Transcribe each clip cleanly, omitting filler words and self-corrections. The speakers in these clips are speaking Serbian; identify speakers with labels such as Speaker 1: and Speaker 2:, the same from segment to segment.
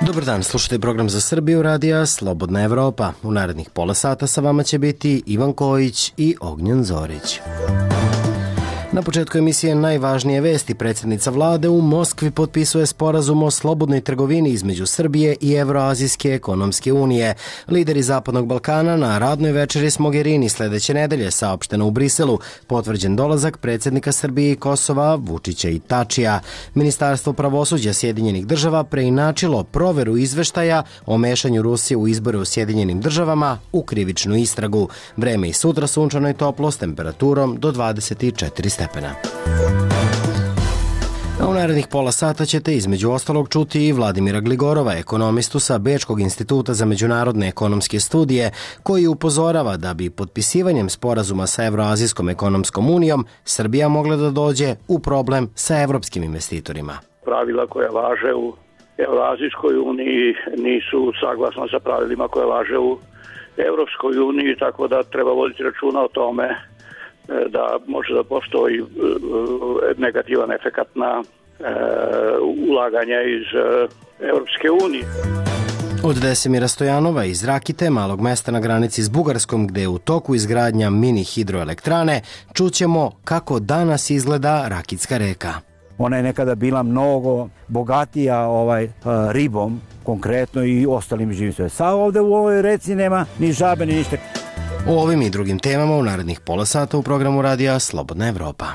Speaker 1: Dobar dan, slušajte program za Srbiju radija Slobodna Evropa. U narednih pola sata sa vama će biti Ivan Kojić i Ognjen Zorić. Na početku emisije najvažnije vesti. Predsjednica vlade u Moskvi potpisuje sporazum o slobodnoj trgovini između Srbije i Evroazijske ekonomske unije. Lideri Zapadnog Balkana na radnoj večeri s Mogherini sljedeće nedelje, saopšteno u Briselu, potvrđen dolazak predsjednika Srbije i Kosova Vučića i Tačija. Ministarstvo pravosuđa Sjedinjenih država preinačilo proveru izveštaja o mešanju Rusije u izbore u Sjedinjenim državama u krivičnu istragu. Vreme i sutra sunčano i toplo s temperaturom do 24 stepena. A u narednih pola sata ćete između ostalog čuti i Vladimira Gligorova, ekonomistu sa Bečkog instituta za međunarodne ekonomske studije, koji upozorava da bi potpisivanjem sporazuma sa Evroazijskom ekonomskom unijom Srbija mogla da dođe u problem sa evropskim investitorima.
Speaker 2: Pravila koja važe u Evroazijskoj uniji nisu saglasna sa pravilima koje važe u Evropskoj uniji, tako da treba voditi računa o tome da može da postoji negativan efekat na ulaganja iz Evropske unije.
Speaker 1: Od Desimira Stojanova iz Rakite, malog mesta na granici s Bugarskom, gde je u toku izgradnja mini hidroelektrane, čućemo kako danas izgleda Rakitska reka.
Speaker 3: Ona je nekada bila mnogo bogatija ribom, konkretno i ostalim živim sve. Sad ovde u ovoj reci nema ni žabe, ni ništa.
Speaker 1: O ovim i drugim temama u narednih pola sata u programu radija Slobodna Evropa.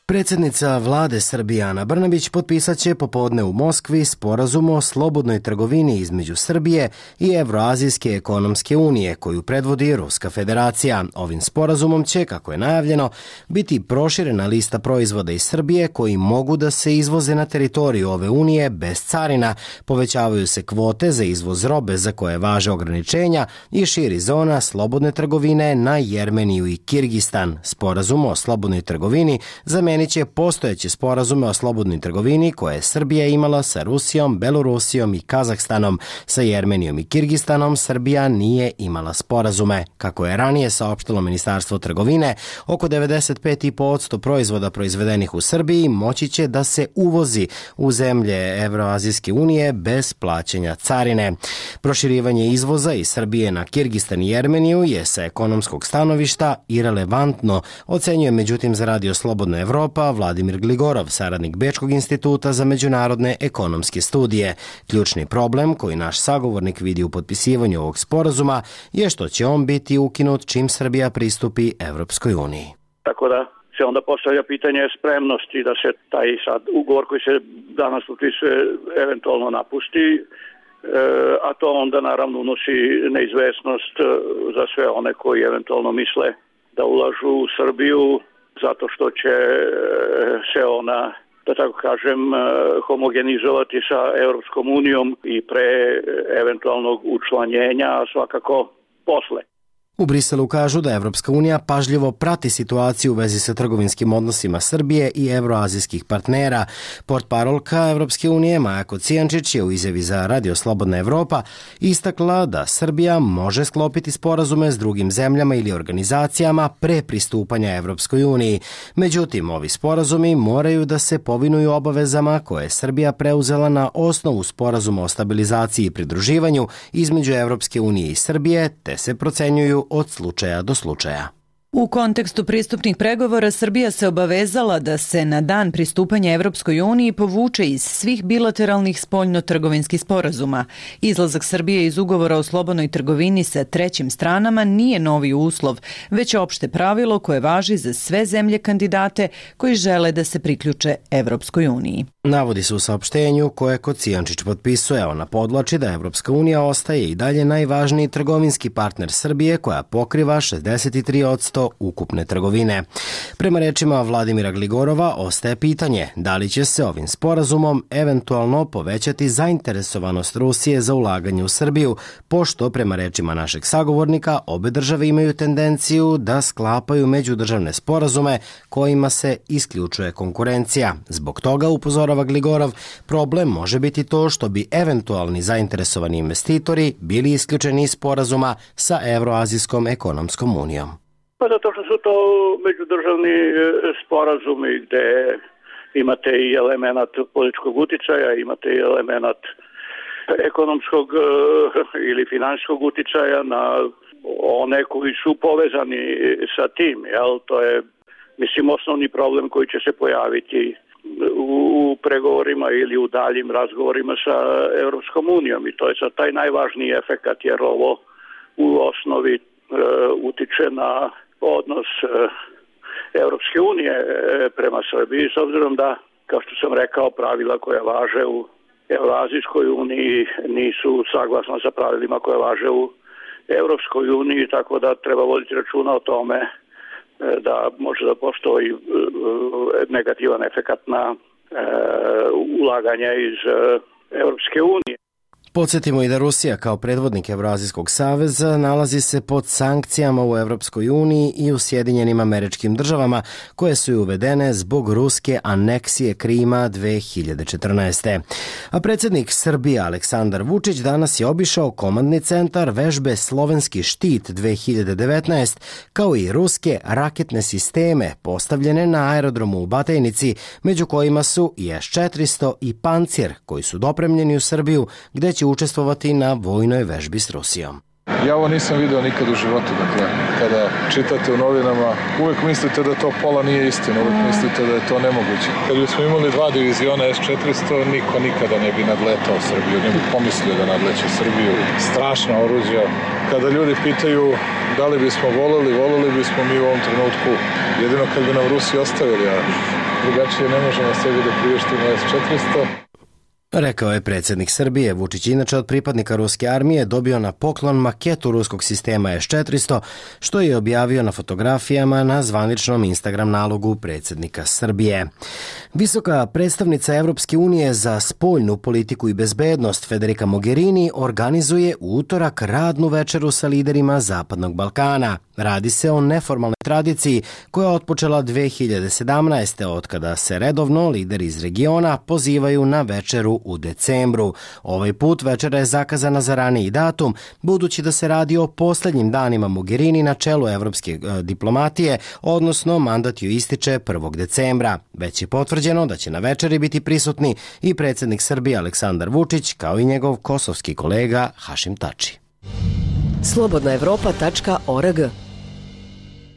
Speaker 1: Predsjednica vlade Srbije Ana Brnabić potpisat će popodne u Moskvi sporazum o slobodnoj trgovini između Srbije i Evroazijske ekonomske unije, koju predvodi Ruska federacija. Ovim sporazumom će, kako je najavljeno, biti proširena lista proizvoda iz Srbije koji mogu da se izvoze na teritoriju ove unije bez carina, povećavaju se kvote za izvoz robe za koje važe ograničenja i širi zona slobodne trgovine na Jermeniju i Kirgistan. Sporazum o slobodnoj trgovini zamenit će postojeće sporazume o slobodnoj trgovini koje je Srbija imala sa Rusijom, Belorusijom i Kazahstanom. Sa Jermenijom i Kirgistanom Srbija nije imala sporazume. Kako je ranije saopštilo Ministarstvo trgovine, oko 95% proizvoda proizvedenih u Srbiji moći će da se uvozi u zemlje Evroazijske unije bez plaćanja carine. Proširivanje izvoza iz Srbije na Kirgistan i Jermeniju je sa ekonomskog stanovišta irelevantno, ocenjuje međutim za Radio Slobodna Evropa Vladimir Gligorov, saradnik Bečkog instituta za međunarodne ekonomske studije. Ključni problem koji naš sagovornik vidi u potpisivanju ovog sporazuma je što će on biti ukinut čim Srbija pristupi Evropskoj uniji.
Speaker 2: Tako da se onda postavlja pitanje spremnosti da se taj sad ugovor koji se danas potpisuje eventualno napusti, a to onda naravno unosi neizvesnost za sve one koji eventualno misle da ulažu u Srbiju, zato što će se ona, da tako kažem, homogenizovati sa Europskom unijom i pre eventualnog učlanjenja, a svakako posle.
Speaker 1: U Briselu kažu da Evropska unija pažljivo prati situaciju u vezi sa trgovinskim odnosima Srbije i evroazijskih partnera. Portparolka Evropske unije Maja Kocijančić je u izjavi za Radio Slobodna Evropa istakla da Srbija može sklopiti sporazume s drugim zemljama ili organizacijama pre pristupanja Evropskoj uniji. Međutim, ovi sporazumi moraju da se povinuju obavezama koje je Srbija preuzela na osnovu sporazuma o stabilizaciji i pridruživanju između Evropske unije i Srbije, te se procenjuju od slučaja do slučaja.
Speaker 4: U kontekstu pristupnih pregovora Srbija se obavezala da se na dan pristupanja Evropskoj uniji povuče iz svih bilateralnih spoljno-trgovinskih sporazuma. Izlazak Srbije iz ugovora o slobodnoj trgovini sa trećim stranama nije novi uslov, već opšte pravilo koje važi za sve zemlje kandidate koji žele da se priključe Evropskoj uniji.
Speaker 1: Navodi se u saopštenju koje Kocijančić potpisuje. Ona podvlači da Evropska unija ostaje i dalje najvažniji trgovinski partner Srbije koja pokriva 63% 10% ukupne trgovine. Prema rečima Vladimira Gligorova, ostaje pitanje da li će se ovim sporazumom eventualno povećati zainteresovanost Rusije za ulaganje u Srbiju, pošto prema rečima našeg sagovornika obe države imaju tendenciju da sklapaju međudržavne sporazume kojima se isključuje konkurencija. Zbog toga, upozorava Gligorov, problem može biti to što bi eventualni zainteresovani investitori bili isključeni iz sporazuma sa Evroazijskom ekonomskom unijom.
Speaker 2: Pa zato što su to međudržavni sporazumi gde imate i element političkog uticaja, imate i element ekonomskog ili finansijskog uticaja na one koji su povezani sa tim. Jel? To je, mislim, osnovni problem koji će se pojaviti u pregovorima ili u daljim razgovorima sa Evropskom unijom. I to je sad taj najvažniji efekat, jer ovo u osnovi utiče na odnos Evropske unije prema Srbiji, s obzirom da, kao što sam rekao, pravila koja važe u Evroazijskoj uniji nisu saglasna sa pravilima koje važe u Evropskoj uniji, tako da treba voditi računa o tome da može da postoji negativan efekat na ulaganje iz Evropske unije.
Speaker 1: Podsjetimo i da Rusija kao predvodnik Evroazijskog saveza nalazi se pod sankcijama u Evropskoj uniji i u Sjedinjenim Američkim Državama koje su i uvedene zbog ruske aneksije Krima 2014. A predsjednik Srbije Aleksandar Vučić danas je obišao komandni centar vežbe Slovenski štit 2019 kao i ruske raketne sisteme postavljene na aerodromu u Batajnici, među kojima su i S-400 i Pancir koji su dopremljeni u Srbiju gde će učestvovati na vojnoj vežbi s Rusijom.
Speaker 5: Ja ovo nisam video nikad u životu, dakle, kada čitate u novinama, uvek mislite da to pola nije istina, uvek mislite da je to nemoguće. Kad bismo imali 2 diviziona S-400, niko nikada ne bi nadletao Srbiju, ne bi pomislio da nadleće Srbiju. Strašna oruđa. Kada ljudi pitaju da li bismo voleli bismo mi u ovom trenutku, jedino kad bi nam Rusi ostavili, a drugačije ne možemo sebi da priuštimo S-400.
Speaker 1: Rekao je predsjednik Srbije. Vučić inače od pripadnika ruske armije dobio na poklon maketu ruskog sistema S-400, što je objavio na fotografijama na zvaničnom Instagram nalogu predsjednika Srbije. Visoka predstavnica Evropske unije za spoljnu politiku i bezbednost Federica Mogherini organizuje u utorak radnu večeru sa liderima Zapadnog Balkana. Radi se o neformalnoj tradiciji koja je otpočela 2017. od kada se redovno lideri iz regiona pozivaju na večeru u decembru. Ovaj put večera je zakazana za raniji datum, budući da se radi o posljednjim danima Mogherini na čelu evropske diplomatije, odnosno mandat ju ističe 1. decembra. Već je potvrđeno da će na večeri biti prisutni i predsjednik Srbije Aleksandar Vučić, kao i njegov kosovski kolega Hašim Tači.
Speaker 6: Slobodnaevropa.org.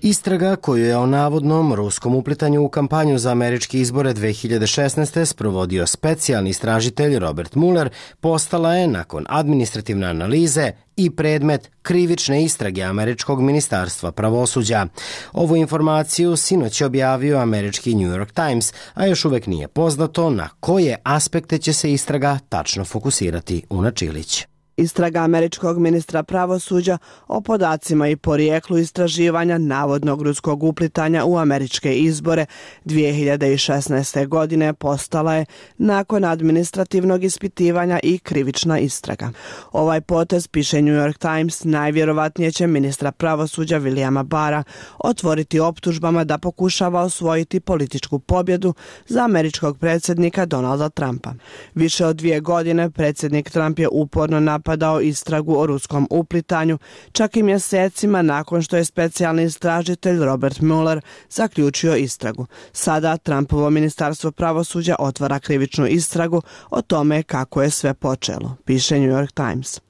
Speaker 1: Istraga koju je o navodnom ruskom uplitanju u kampanju za američke izbore 2016. sprovodio specijalni istražitelj Robert Mueller postala je, nakon administrativne analize, i predmet krivične istrage američkog ministarstva pravosuđa. Ovu informaciju sinoć je objavio američki New York Times, a još uvek nije poznato na koje aspekte će se istraga tačno fokusirati. Una Čilić.
Speaker 7: Istraga američkog ministra pravosuđa o podacima i porijeklu istraživanja navodnog ruskog uplitanja u američke izbore 2016. godine postala je, nakon administrativnog ispitivanja, i krivična istraga. Ovaj potez, piše New York Times, najvjerovatnije će ministra pravosuđa Williama Barra otvoriti optužbama da pokušava osvojiti političku pobjedu za američkog predsjednika Donalda Trumpa. Više od 2 godine predsjednik Trump je uporno napadao istragu o ruskom uplitanju, čak i mjesecima nakon što je specijalni istražitelj Robert Mueller zaključio istragu. Sada Trumpovo ministarstvo pravosuđa otvara krivičnu istragu o tome kako je sve počelo, piše New York Times.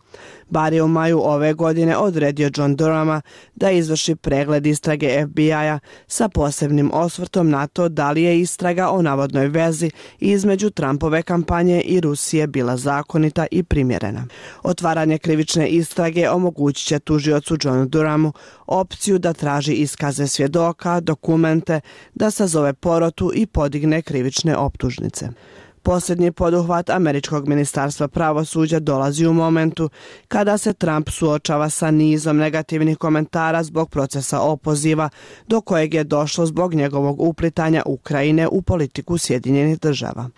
Speaker 7: Barr je u maju ove godine odredio John Durhama da izvrši pregled istrage FBI-a sa posebnim osvrtom na to da li je istraga o navodnoj vezi između Trumpove kampanje i Rusije bila zakonita i primjerena. Otvaranje krivične istrage omogućit će tužiocu Johnu Durhamu opciju da traži iskaze svjedoka, dokumente, da sazove porotu i podigne krivične optužnice. Posljednji poduhvat američkog ministarstva pravosuđa dolazi u momentu kada se Trump suočava sa nizom negativnih komentara zbog procesa opoziva do kojeg je došlo zbog njegovog uplitanja Ukrajine u politiku Sjedinjenih država.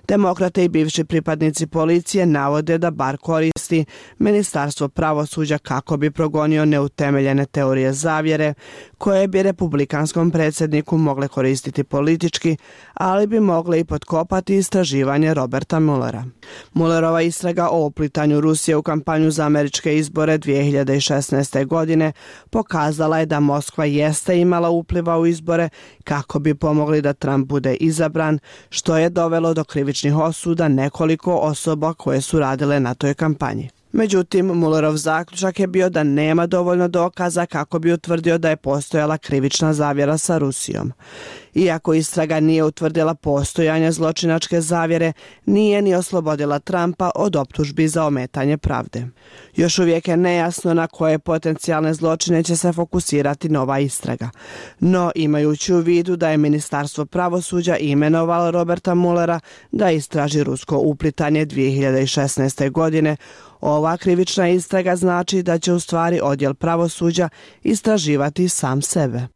Speaker 7: Demokrate i bivši pripadnici policije navode da bar koristi ministarstvo pravosuđa kako bi progonio neutemeljene teorije zavjere koje bi republikanskom predsjedniku mogle koristiti politički, ali bi mogle i potkopati istraživanje Roberta Muellera. Muellerova istraga o uplitanju Rusije u kampanju za američke izbore 2016. godine pokazala je da Moskva jeste imala upliva u izbore kako bi pomogli da Trump bude izabran, što je dovelo do krivičnih osuda nekoliko osoba koje su radile na toj kampanji. Međutim, Muellerov zaključak je bio da nema dovoljno dokaza kako bi utvrdio da je postojala krivična zavjera sa Rusijom. Iako istraga nije utvrdila postojanje zločinačke zavjere, nije ni oslobodila Trumpa od optužbi za ometanje pravde. Još uvijek je nejasno na koje potencijalne zločine će se fokusirati nova istraga. No, imajući u vidu da je ministarstvo pravosuđa imenovalo Roberta Muellera da istraži rusko uplitanje 2016. godine, ova krivična istraga znači da će u stvari odjel pravosuđa istraživati sam sebe.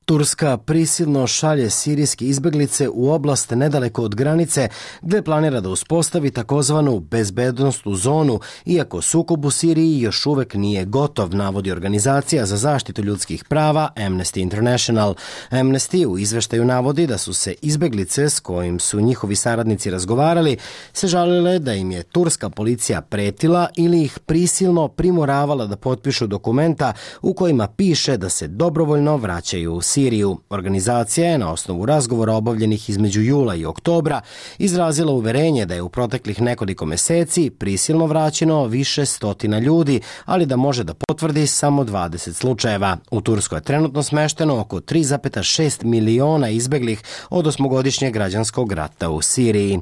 Speaker 1: Turska prisilno šalje sirijske izbjeglice u oblast nedaleko od granice gdje planira da uspostavi takozvanu bezbednosnu zonu, iako sukob u Siriji još uvek nije gotov, navodi organizacija za zaštitu ljudskih prava Amnesty International. Amnesty u izveštaju navodi da su se izbjeglice s kojim su njihovi saradnici razgovarali se žalile da im je turska policija pretila ili ih prisilno primoravala da potpišu dokumenta u kojima piše da se dobrovoljno vraćaju u Siriju. Organizacija je na osnovu razgovora obavljenih između jula i oktobra izrazila uverenje da je u proteklih nekoliko meseci prisilno vraćeno više stotina ljudi, ali da može da potvrdi samo 20 slučajeva. U Turskoj je trenutno smešteno oko 3,6 miliona izbeglih od 8-godišnjeg građanskog rata u Siriji.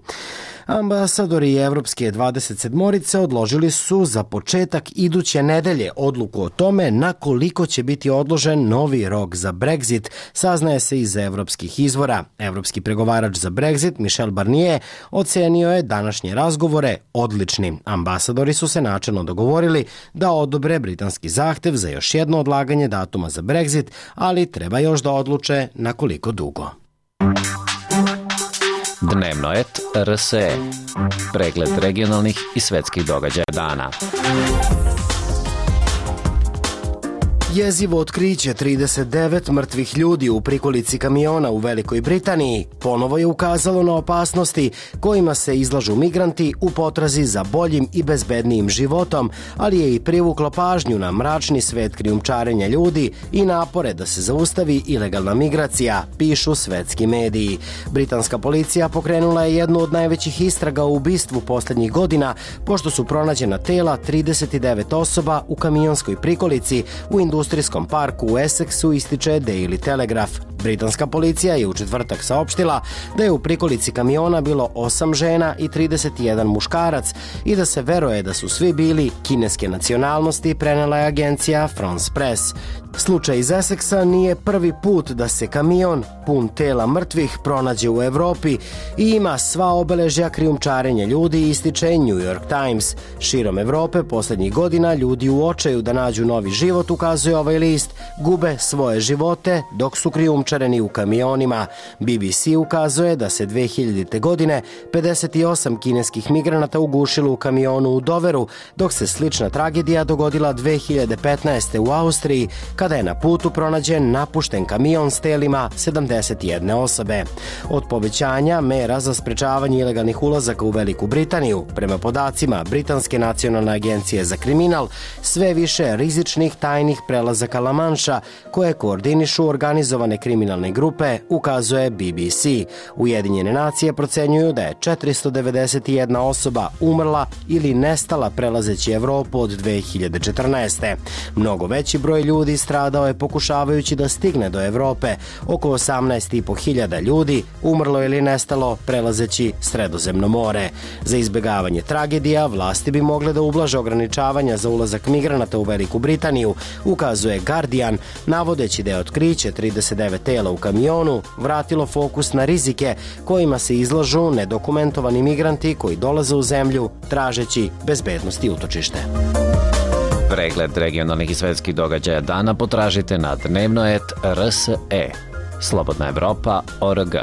Speaker 1: Ambasadori Evropske 27-orice odložili su za početak iduće nedelje odluku o tome na koliko će biti odložen novi rok za Brexit, saznaje se iz evropskih izvora. Evropski pregovarač za Brexit, Michel Barnier, ocenio je današnje razgovore odličnim. Ambasadori su se načelno dogovorili da odobre britanski zahtev za još jedno odlaganje datuma za Brexit, ali treba još da odluče na koliko dugo.
Speaker 6: Dnevnoet RSE. Pregled regionalnih i svetskih događaja dana.
Speaker 1: Jezivo otkriće 39 mrtvih ljudi u prikolici kamiona u Velikoj Britaniji ponovo je ukazalo na opasnosti kojima se izlažu migranti u potrazi za boljim i bezbednijim životom, ali je i privuklo pažnju na mračni svet krijumčarenja ljudi i napore da se zaustavi ilegalna migracija, pišu svetski mediji. Britanska policija pokrenula je jednu od najvećih istraga o ubistvu posljednjih godina, pošto su pronađena tela 39 osoba u kamionskoj prikolici u industrijskom parku u Essexu, ističe Daily Telegraph. Britanska policija je u četvrtak saopštila da je u prikolici kamiona bilo 8 žena i 31 muškarac i da se veruje da su svi bili kineske nacionalnosti, prenela je agencija France Press. Slučaj iz Essexa nije prvi put da se kamion pun tela mrtvih pronađe u Evropi i ima sva obeležja krijumčarenja ljudi, ističe New York Times. Širom Evrope posljednjih godina ljudi u očaju da nađu novi život, ukazuje ovaj list, gube svoje živote dok su krijumčareni u kamionima. BBC ukazuje da se 2000. godine 58 kineskih migranata ugušilo u kamionu u Doveru, dok se slična tragedija dogodila 2015. u Austriji, kada je na putu pronađen napušten kamion s telima 71 osobe. Od povećanja mera za sprečavanje ilegalnih ulazaka u Veliku Britaniju, prema podacima Britanske nacionalne agencije za kriminal, sve više rizičnih tajnih prelazaka La Manša koje koordinišu organizovane kriminalne grupe, ukazuje BBC. Ujedinjene nacije procenjuju da je 491 osoba umrla ili nestala prelazeći Evropu od 2014. Mnogo veći broj ljudi stradao je pokušavajući da stigne do Evrope. Oko 18.500 ljudi umrlo ili nestalo prelazeći Sredozemno more. Za izbjegavanje tragedija vlasti bi mogle da ublaže ograničavanja za ulazak migranata u Veliku Britaniju, ukazuje Guardian, navodeći da je otkriće 39 tela u kamionu vratilo fokus na rizike kojima se izlažu nedokumentovani migranti koji dolaze u zemlju tražeći bezbednost i utočište.
Speaker 6: Pregled regionalnih i svetskih događaja dana potražite na dnevnoet.rse. Slobodna Evropa.org.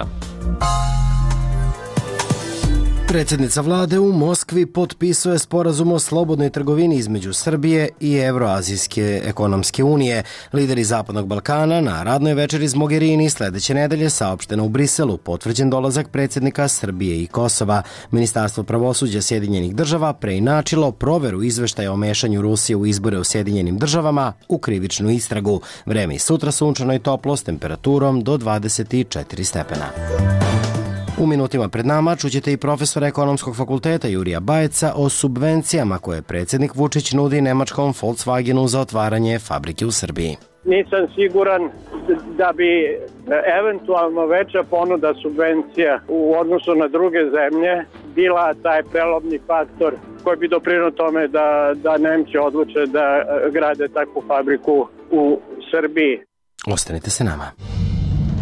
Speaker 1: Predsjednica vlade u Moskvi potpisuje sporazum o slobodnoj trgovini između Srbije i Evroazijske ekonomske unije. Lideri Zapadnog Balkana na radnoj večeri s Mogherini sledeće nedelje saopšteno u Briselu potvrđen dolazak predsjednika Srbije i Kosova. Ministarstvo pravosuđa Sjedinjenih država preinačilo proveru izveštaja o mešanju Rusije u izbore u Sjedinjenim državama u krivičnu istragu. Vreme i sutra sunčano i toplo s temperaturom do 24 stepena. U minutima pred nama čućete i profesora Ekonomskog fakulteta Jurija Bajeca o subvencijama koje predsjednik Vučić nudi nemačkom Volkswagenu za otvaranje fabrike u Srbiji.
Speaker 8: Nisam siguran da bi eventualno veća ponuda subvencija u odnosu na druge zemlje bila taj prelomni faktor koji bi doprinio tome da Nemci odluče da grade takvu fabriku u Srbiji.
Speaker 1: Ostanite se nama.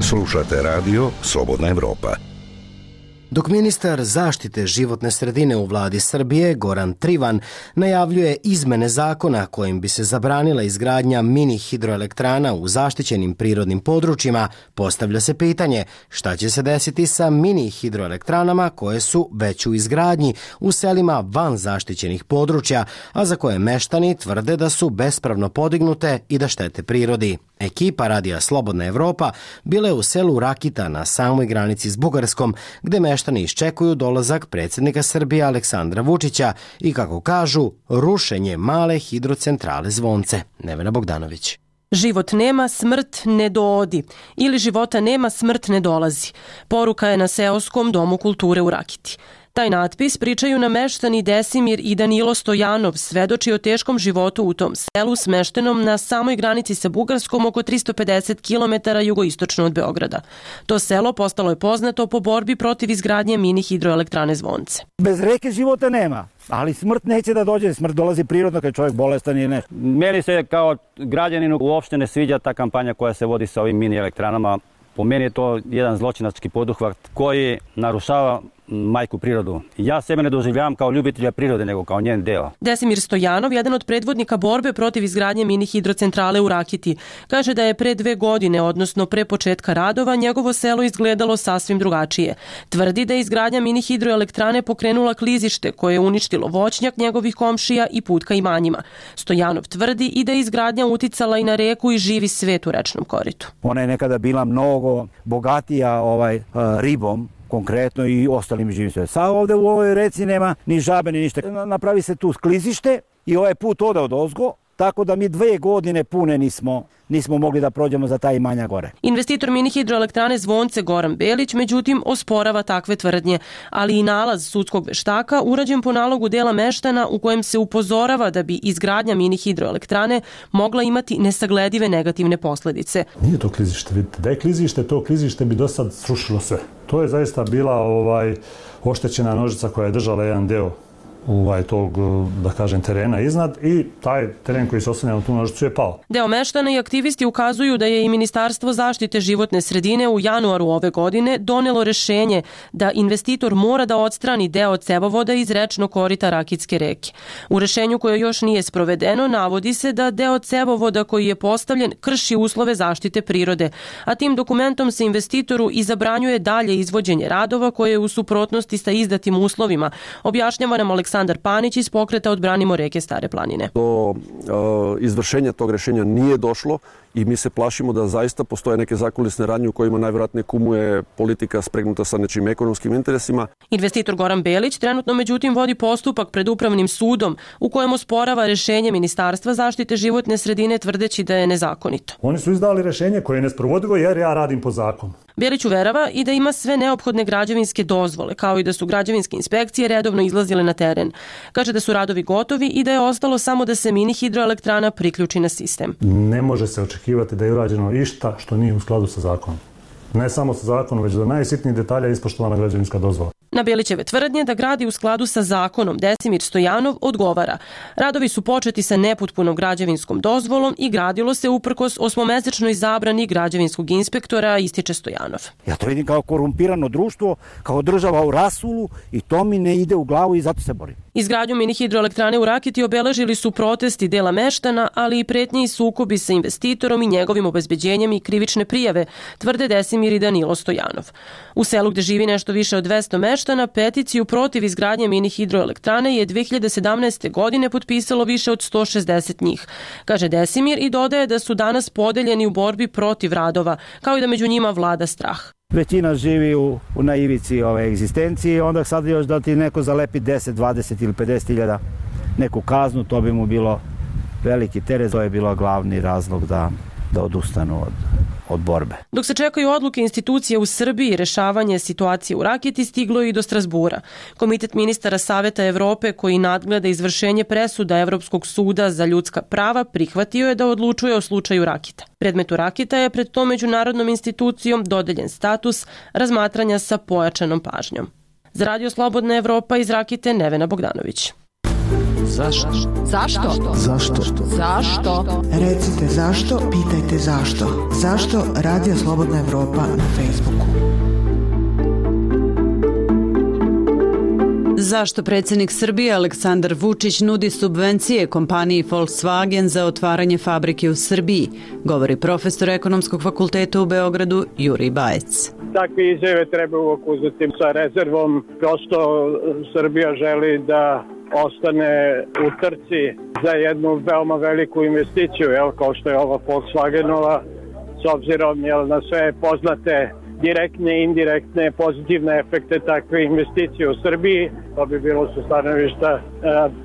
Speaker 9: Slušate radio Slobodna Evropa.
Speaker 1: Dok ministar zaštite životne sredine u vladi Srbije, Goran Trivan, najavljuje izmene zakona kojim bi se zabranila izgradnja mini hidroelektrana u zaštićenim prirodnim područjima, postavlja se pitanje šta će se desiti sa mini hidroelektranama koje su već u izgradnji u selima van zaštićenih područja, a za koje meštani tvrde da su bespravno podignute i da štete prirodi. Ekipa radija Slobodna Evropa bila je u selu Rakita na samoj granici s Bugarskom, gde meštani iščekuju dolazak predsjednika Srbije Aleksandra Vučića i, kako kažu, rušenje male hidrocentrale Zvonce. Nevena Bogdanović.
Speaker 10: Život nema, smrt ne doodi. Ili života nema, smrt ne dolazi. Poruka je na seoskom domu kulture u Rakiti. Taj natpis, pričaju nam meštani Desimir i Danilo Stojanov, svedoči o teškom životu u tom selu smeštenom na samoj granici sa Bugarskom oko 350 km jugoistočno od Beograda. To selo postalo je poznato po borbi protiv izgradnje mini hidroelektrane Zvonce.
Speaker 3: Bez reke života nema, ali smrt neće da dođe, smrt dolazi prirodno kad je čovjek bolestan ili nešto.
Speaker 11: Meni se kao građaninu uopšte ne sviđa ta kampanja koja se vodi sa ovim mini elektranama. Po meni je to jedan zločinački poduhvat koji narušava majku prirodu. Ja sebe ne doživljavam kao ljubitelja prirode, nego kao njen deo.
Speaker 10: Desimir Stojanov, jedan od predvodnika borbe protiv izgradnje mini hidrocentrale u Rakiti, kaže da je pre 2 godine, odnosno pre početka radova, njegovo selo izgledalo sasvim drugačije. Tvrdi da je izgradnja mini hidroelektrane pokrenula klizište koje je uništilo voćnjak njegovih komšija i put ka imanjima. Stojanov tvrdi i da je izgradnja uticala i na reku i živi svet u rečnom koritu.
Speaker 3: Ona je nekada bila mnogo bogatija ribom, konkretno i ostalim živim sve. Sad ovde u ovoj reci nema ni žabe ni ništa. Napravi se tu klizište i ovaj put ode od ozgo, tako da mi 2 godine pune nismo mogli da prođemo za taj imanja gore.
Speaker 10: Investitor mini hidroelektrane Zvonce Goran Belić, međutim, osporava takve tvrdnje, ali i nalaz sudskog veštaka urađen po nalogu dela meštana u kojem se upozorava da bi izgradnja mini hidroelektrane mogla imati nesagledive negativne posledice.
Speaker 12: Nije to klizište, vidite, da je klizište, to klizište bi do sad srušilo sve. To je zaista bila oštećena nožica koja je držala jedan deo tog, da kažem, terena iznad i taj teren koji se oslanja na tu nožicu je pao.
Speaker 10: Deo meštana i aktivisti ukazuju da je i Ministarstvo zaštite životne sredine u januaru ove godine donelo rešenje da investitor mora da odstrani deo cevovoda iz rečnog korita Rakitske reke. U rešenju koje još nije sprovedeno navodi se da deo cevovoda koji je postavljen krši uslove zaštite prirode, a tim dokumentom se investitoru i zabranjuje dalje izvođenje radova koje je u suprotnosti sa izdatim uslovima, objašnjava nam Aleksandar Panić iz pokreta Odbranimo reke Stare planine.
Speaker 13: Do izvršenja tog rešenja nije došlo i mi se plašimo da zaista postoje neke zakulisne radnje u kojima najvjerojatnije kumuje politika spregnuta sa nečim ekonomskim interesima.
Speaker 10: Investitor Goran Belić trenutno međutim vodi postupak pred Upravnim sudom u kojem osporava rešenje Ministarstva zaštite životne sredine tvrdeći da je nezakonito.
Speaker 12: Oni su izdali rešenje koje je nesprovodivo jer ja radim po zakonu.
Speaker 10: Bjelić uverava i da ima sve neophodne građevinske dozvole, kao i da su građevinske inspekcije redovno izlazile na teren. Kaže da su radovi gotovi i da je ostalo samo da se mini hidroelektrana priključi na sistem.
Speaker 12: Ne može se očekivati da je urađeno išta što nije u skladu sa zakonom. Ne samo sa zakonom, već do najsitnijih detalja ispoštovana građevinska dozvola.
Speaker 10: Na Bjelićeve tvrdnje da gradi u skladu sa zakonom Desimir Stojanov odgovara. Radovi su početi sa nepotpunom građevinskom dozvolom i gradilo se uprkos 8-mesečnoj zabrani građevinskog inspektora, ističe Stojanov.
Speaker 3: Ja to vidim kao korumpirano društvo, kao država u rasulu i to mi ne ide u glavu i zato se borim.
Speaker 10: Izgradnju mini hidroelektrane u Rakiti obeležili su protesti dela meštana, ali i pretnje i sukobi sa investitorom i njegovim obezbeđenjem i krivične prijave, tvrde Desimir i Danilo Stojanov. U selu gde živi nešto više od 200 meštana, peticiju protiv izgradnje mini hidroelektrane je 2017. godine potpisalo više od 160 njih, kaže Desimir i dodaje da su danas podeljeni u borbi protiv radova, kao i da među njima vlada strah.
Speaker 3: Većina živi na ivici ove egzistencije, onda sad još da ti neko zalepi 10, 20 ili 50 hiljada neku kaznu, to bi mu bilo veliki teret, to je bilo glavni razlog da odustanu od borbe.
Speaker 10: Dok se čekaju odluke institucije u Srbiji i rešavanje situacije u Rakiti, stiglo je i do Strasbura. Komitet ministara Saveta Evrope koji nadgleda izvršenje presuda Evropskog suda za ljudska prava prihvatio je da odlučuje o slučaju Rakita. Predmetu Rakita je pred tom međunarodnom institucijom dodeljen status razmatranja sa pojačanom pažnjom. Za Radio Slobodna Evropa iz Rakite Nevena Bogdanović.
Speaker 14: Zašto? Zašto?
Speaker 15: Zašto?
Speaker 14: Zašto?
Speaker 15: Recite zašto, pitajte zašto. Zašto Radio Slobodna Evropa na Facebooku?
Speaker 4: Zašto predsjednik Srbije Aleksandar Vučić nudi subvencije kompaniji Volkswagen za otvaranje fabrike u Srbiji, govori profesor Ekonomskog fakulteta u Beogradu Jurij Bajec.
Speaker 8: Takve izjave treba uvijek uzeti sa rezervom. Prosto Srbija želi da ostane u trci za jednu veoma veliku investiciju, kao što je ova Volkswagenova, s obzirom na sve poznate direktne i indirektne pozitivne efekte takve investicije u Srbiji. To bi bilo sa stanovišta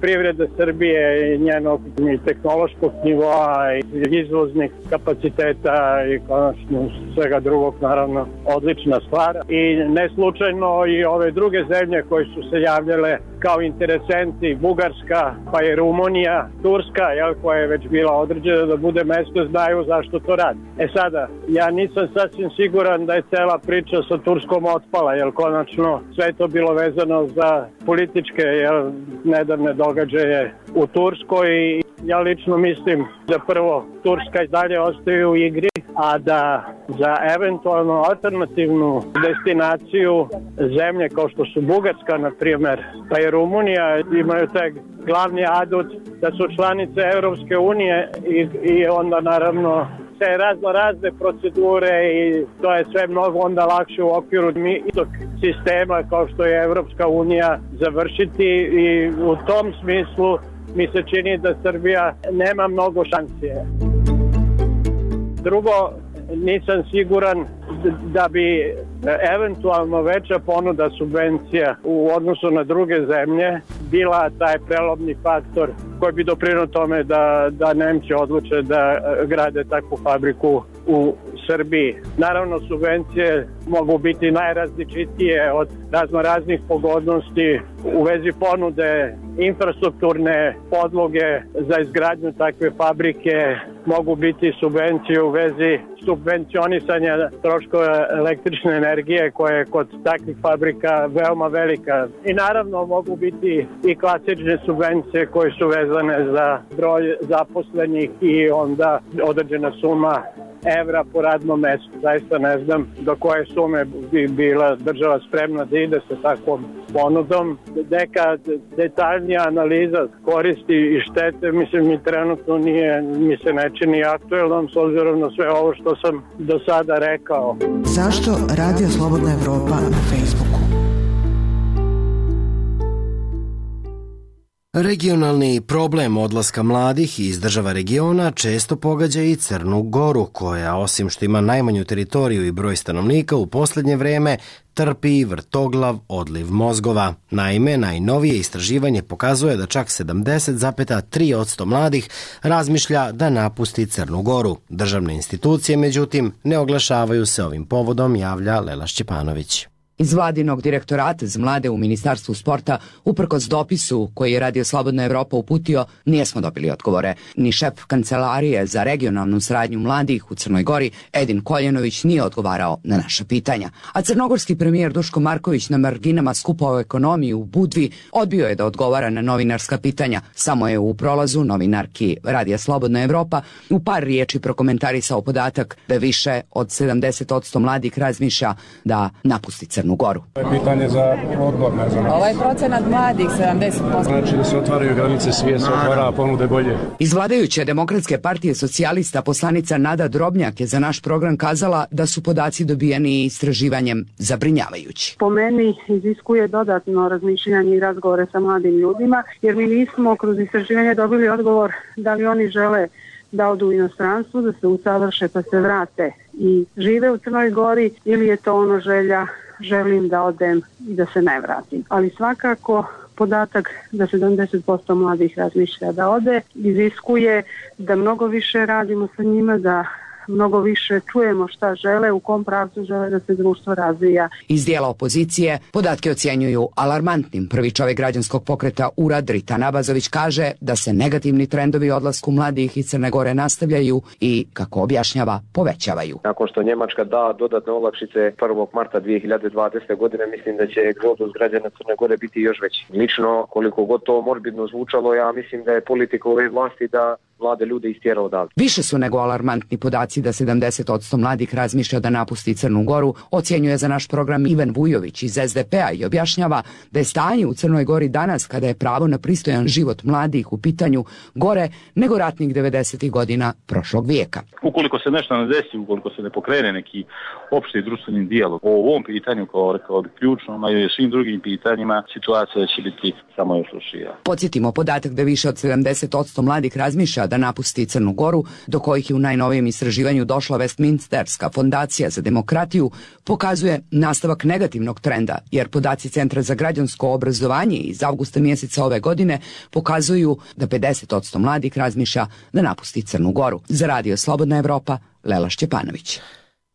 Speaker 8: privrede Srbije i njenog tehnološkog nivoa i izvoznih kapaciteta i konačno svega drugog, naravno, odlična stvar. I ne slučajno i ove druge zemlje koje su se javljale kao interesenti, Bugarska, pa i Rumunija, Turska, koja je već bila određena da bude mesto, znaju zašto to radi. Sada, ja nisam sasvim siguran da je cela priča sa Turskom otpala, jer konačno sve to bilo vezano za političke nedavne događaje u Turskoj. Ja lično mislim da prvo Turska i dalje ostaje u igri, a da za eventualno alternativnu destinaciju zemlje kao što su Bugarska, na primjer, pa i Rumunija, imaju taj glavni adut da su članice Europske unije i onda naravno se razne procedure i to je sve mnogo onda lakše u okviru tog sistema kao što je Evropska unija završiti i u tom smislu mi se čini da Srbija nema mnogo šanse. Drugo, nisam siguran da bi eventualno veća ponuda subvencija u odnosu na druge zemlje bila taj prelomni faktor koji bi doprinuo tome da Nemci odluče da grade takvu fabriku u Srbiji. Naravno, subvencije mogu biti najrazličitije od raznih pogodnosti u vezi ponude, infrastrukturne podloge za izgradnju takve fabrike, mogu biti subvencije u vezi subvencionisanja troškova električne energije koja je kod takvih fabrika veoma velika. I naravno mogu biti i klasične subvencije koje su vezane za broj zaposlenih i onda određena suma evra po radnom mestu. Zaista ne znam do koje sume bi bila država spremna da ide sa takvom ponudom. Neka detaljnija analiza koristi i štete, mislim, mi trenutno mi se ne čini aktuelnom s obzirom na sve ovo što sam do sada rekao.
Speaker 15: Zašto Radio Slobodna Evropa na Facebooku?
Speaker 1: Regionalni problem odlaska mladih iz država regiona često pogađa i Crnu Goru, koja, osim što ima najmanju teritoriju i broj stanovnika, u posljednje vreme trpi vrtoglav odliv mozgova. Naime, najnovije istraživanje pokazuje da čak 70,3% mladih razmišlja da napusti Crnu Goru. Državne institucije, međutim, ne oglašavaju se ovim povodom, javlja Lela Šćepanović.
Speaker 16: Iz vladinog direktorata za mlade u Ministarstvu sporta, uprkos dopisu koji je Radio Slobodna Evropa uputio, nismo dobili odgovore. Ni šef Kancelarije za regionalnu saradnju mladih u Crnoj Gori, Edin Koljenović, nije odgovarao na naša pitanja. A crnogorski premijer Duško Marković na marginama skupa o ekonomiji u Budvi odbio je da odgovara na novinarska pitanja. Samo je u prolazu novinarki Radija Slobodna Evropa u par riječi prokomentarisao podatak da više od 70% mladih razmišlja da napusti Crnu Goru.
Speaker 17: Pitanje za odbor, ne znam.
Speaker 18: Ovaj procenat mladih, 70%.
Speaker 17: Znači da se otvaraju granice, svijet se otvara, ponude bolje.
Speaker 16: Iz vladajuće Demokratske partije socijalista poslanica Nada Drobnjak je za naš program kazala da su podaci dobijeni istraživanjem zabrinjavajući.
Speaker 19: Po meni iziskuje dodatno razmišljanje i razgovore sa mladim ljudima, jer mi nismo kroz istraživanje dobili odgovor da li oni žele da odu u inostranstvo, da se usavrše pa se vrate i žive u Crnoj Gori, ili je to ono želja želim da odem i da se ne vratim. Ali svakako podatak da 70% mladih razmišlja da ode iziskuje da mnogo više radimo sa njima, da mnogo više čujemo šta žele, u kom pravcu žele da se društvo razvija.
Speaker 16: Iz dijela opozicije podatke ocjenjuju alarmantnim. Prvi čovjek građanskog pokreta URAD Ritan Abazović kaže da se negativni trendovi odlasku mladih iz Crne Gore nastavljaju i, kako objašnjava, povećavaju.
Speaker 20: Nakon što Njemačka da dodatne olakšice 1. marta 2020. godine, mislim da će egzodus građana Crne Gore biti još veći. Lično, koliko god to morbidno zvučalo, ja mislim da je politika ove vlasti da mlade ljude istjera odavde.
Speaker 16: Više su nego alarmantni podaci da 70% mladih razmišlja da napusti Crnu Goru, ocjenjuje za naš program Ivan Vujović iz SDP-a i objašnjava da je stanje u Crnoj Gori danas, kada je pravo na pristojan život mladih u pitanju, gore nego ratnih 90. godina prošlog vijeka.
Speaker 21: Ukoliko se nešto ne desi, ukoliko se ne pokrene neki opšti društveni dijalog o ovom pitanju, kao rekao bih ključno, a i o svim drugim pitanjima, situacija će biti samo još lošija.
Speaker 16: Podsjetimo podatak da više od 70% mladih razmišlja da napusti Crnu Goru, do kojih je u najnovijem istraživanju došla Westminsterska fondacija za demokratiju, pokazuje nastavak negativnog trenda, jer podaci Centra za građansko obrazovanje iz avgusta mjeseca ove godine pokazuju da 50% mladih razmišlja da napusti Crnu Goru. Za Radio Slobodna Evropa, Lela Šćepanović.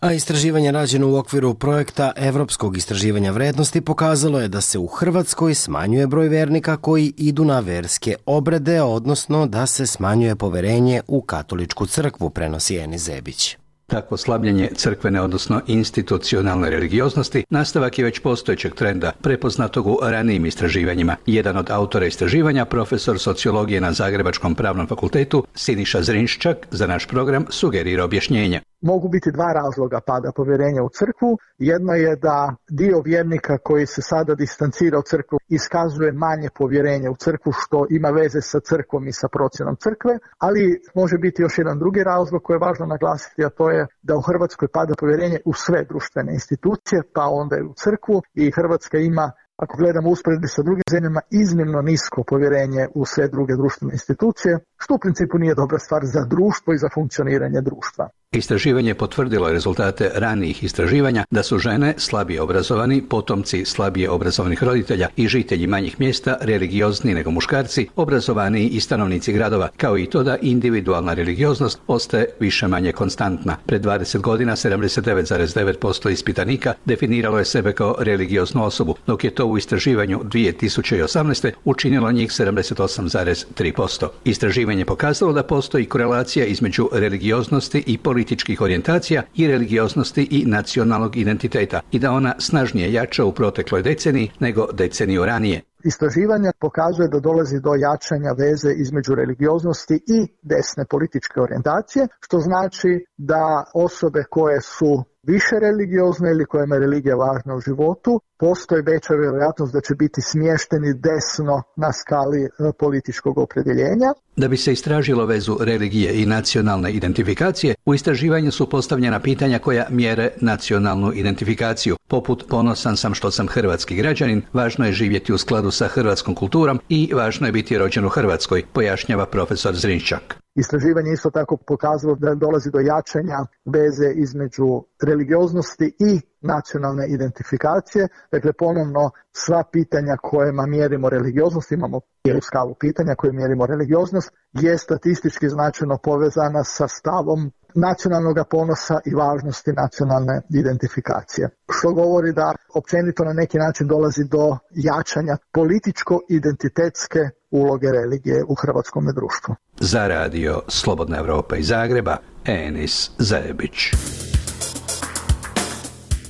Speaker 1: A istraživanje rađeno u okviru projekta Evropskog istraživanja vrednosti pokazalo je da se u Hrvatskoj smanjuje broj vernika koji idu na verske obrede, odnosno da se smanjuje poverenje u katoličku crkvu, prenosi Eni Zebić.
Speaker 22: Takvo slabljenje crkvene, odnosno institucionalne religioznosti, nastavak je već postojećeg trenda, prepoznatog u ranijim istraživanjima. Jedan od autora istraživanja, profesor sociologije na Zagrebačkom pravnom fakultetu, Siniša Zrinščak, za naš program sugerira objašnjenje.
Speaker 23: Mogu biti dva razloga pada povjerenja u crkvu. Jedno je da dio vjernika koji se sada distancira od crkvu iskazuje manje povjerenje u crkvu, što ima veze sa crkvom i sa procjenom crkve, ali može biti još jedan drugi razlog koji je važno naglasiti, a to je da u Hrvatskoj pada povjerenje u sve društvene institucije, pa onda i u crkvu, i Hrvatska ima, ako gledamo usporedbi sa drugim zemljama, iznimno nisko povjerenje u sve druge društvene institucije, što u principu nije dobra stvar za društvo i za funkcioniranje društva.
Speaker 22: Istraživanje potvrdilo rezultate ranijih istraživanja da su žene slabije obrazovani, potomci slabije obrazovanih roditelja i žitelji manjih mjesta religiozniji nego muškarci, obrazovaniji i stanovnici gradova, kao i to da individualna religioznost ostaje više manje konstantna. Pred 20 godina 79,9% ispitanika definiralo je sebe kao religioznu osobu, dok je to u istraživanju 2018. učinilo njih 78,3%. Istraživanje pokazalo da postoji korelacija između religioznosti i političkih orijentacija i religioznosti i nacionalnog identiteta i da ona snažnije jača u protekloj deceniji nego deceniju ranije.
Speaker 23: Istraživanje pokazuje da dolazi do jačanja veze između religioznosti i desne političke orijentacije, što znači da osobe koje su više religiozne ili kojima je religija važna u životu, postoji veća vjerojatnost da će biti smješteni desno na skali političkog opredjeljenja.
Speaker 22: Da bi se istražilo vezu religije i nacionalne identifikacije, u istraživanju su postavljena pitanja koja mjere nacionalnu identifikaciju, poput ponosan sam što sam hrvatski građanin, važno je živjeti u skladu sa hrvatskom kulturom i važno je biti rođen u Hrvatskoj, pojašnjava profesor Zrinjščak.
Speaker 23: Istraživanje isto tako pokazalo da dolazi do jačanja veze između religioznosti i nacionalne identifikacije. Dakle, ponovno sva pitanja kojima mjerimo religioznost, imamo cijelu skalu pitanja koje mjerimo religioznost, je statistički značajno povezana sa stavom nacionalnog ponosa i važnosti nacionalne identifikacije. Što govori da općenito na neki način dolazi do jačanja političko-identitetske uloge religije u hrvatskom društvu.
Speaker 22: Za radio Slobodna Evropa iz Zagreba, Enis Zajebić.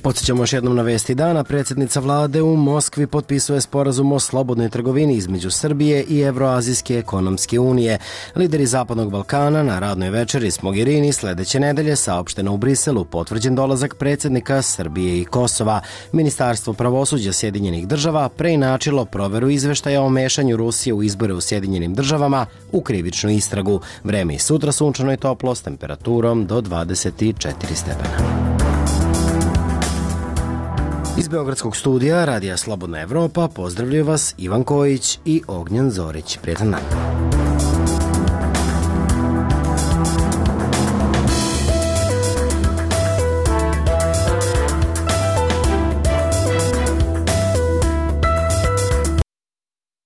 Speaker 1: Podsjećamo još jednom na vesti dana. Predsjednica vlade u Moskvi potpisuje sporazum o slobodnoj trgovini između Srbije i Evroazijske ekonomske unije. Lideri Zapadnog Balkana na radnoj večeri s Mogherini sljedeće nedelje saopšteno u Briselu potvrđen dolazak predsjednika Srbije i Kosova. Ministarstvo pravosuđa Sjedinjenih država preinačilo proveru izveštaja o mešanju Rusije u izbore u Sjedinjenim državama u krivičnu istragu. Vreme i sutra sunčano i toplo s temperaturom do 24 stepena. Iz Beogradskog studija Radija Slobodna Evropa pozdravljaju vas Ivan Kojić i Ognjen Zorić. Prijetan dan.